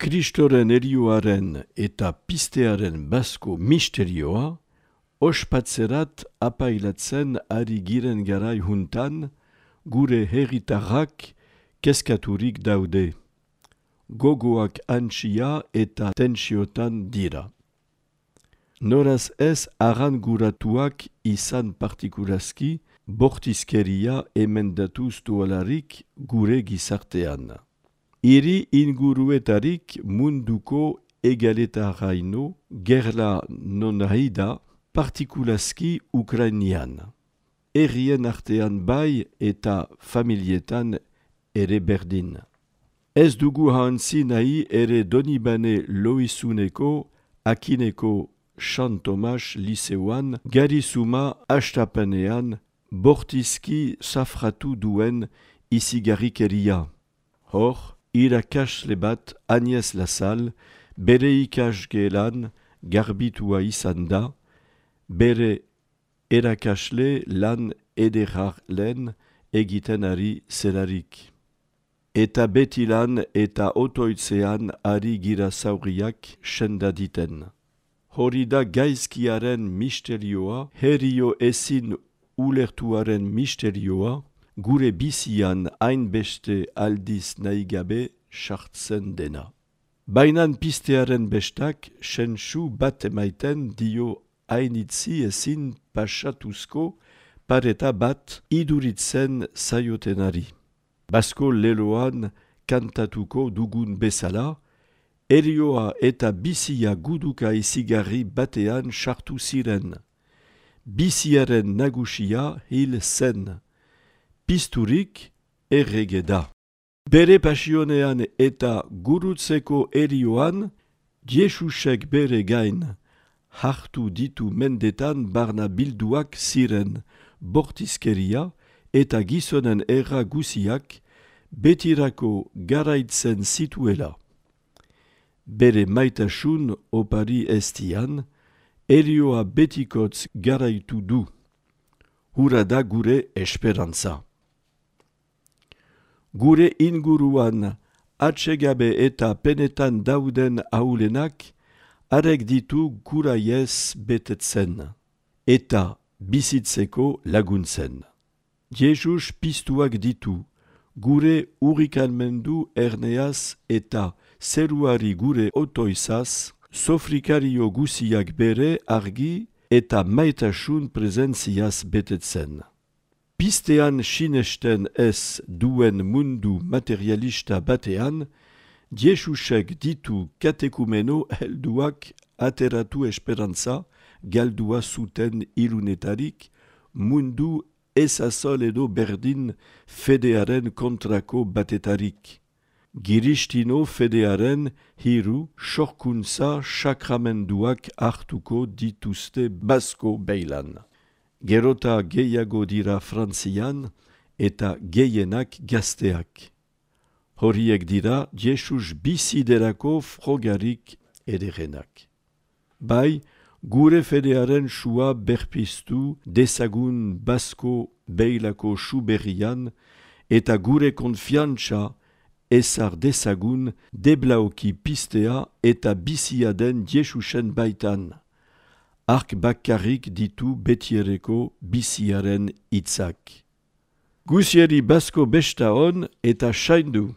Kristoren erioaren eta pistearen basko misterioa, ospatzerat apailatzen ari giren garai juntan, gure herritarrak kezkaturik daude. Gogoak antxia eta tentsiotan dira. Noraz ez aranguratuak izan partikulazki, bortizkeria emendatuz dualarik gure gizartean. Hiri inguruetarik munduko egaletaraino gerla non haida partikulazki Ukrainian. Herrien artean bai eta familietan ere berdin. Ez dugu hantzi nahi ere Donibane Loizuneko, Akineko Sant Tomas Liseuan, garizuma hastapenean bortizki safratu duen izigarrikeria. Hor, irakasle bat Agnès Lassalle bere ikasgelan garbitua izan da, bere erakasle lan ederraren egiten ari zelarik. Eta beti lan eta otoitzean ari gira zauriak sendaditen. Hori da gaizkiaren misterioa, herio ezin ulertuaren misterioa, gure bizian hainbeste aldiz nahigabe sartzen dena. Bainan pistearen bestak sensu bat emaiten dio hainitzi ezin pasatuzko pareta bat iduritzen zaiotenari. Basko leloan kantatuko dugun bezala, erioa eta bizia guduka izigarri batean sartu ziren. Biziaren nagusia hil zen. Pisturik errege da. Bere pasionean eta gurutzeko erioan, Jesusek bere gain hartu ditu mendetan barna bilduak ziren bortizkeria eta gizonen erra guziak betirako garaitzen zituela. Bere maitasun opari estian, erioa betikotz garaitu du. Hura da gure esperantza. Gure inguruan atsegabe eta penetan dauden ahulenak arek ditu guraiez betetzen eta bizitzeko laguntzen. Jesus pistuak ditu, gure urrikalmendu erneaz eta zeruari gure otoizaz, sofrikario guziak bere argi eta maitasun prezentziaz betetzen. Pistean sinesten ez duen mundu materialista batean, Jesusek ditu katekumeno helduak ateratu esperantza galdua zuten ilunetarik, mundu ezazol edo berdin fedearen kontrako batetarik. Giristino fedearen hiru sorkuntza sakramenduak hartuko dituzte basko beilan. Gerota gehiago dira Frantzian eta gehienak gazteak. Horiek dira Jesus biziderako frogarik ederenak. Bai, gure fedearen sua berpiztu dezagun basko beilako suberrian eta gure konfiantza ezar dezagun deblauki pistea eta bizia den Jesusen baitan. Ark bakarrik ditu betiereko biziaren hitzak. Guzieri basko besta on eta saindu.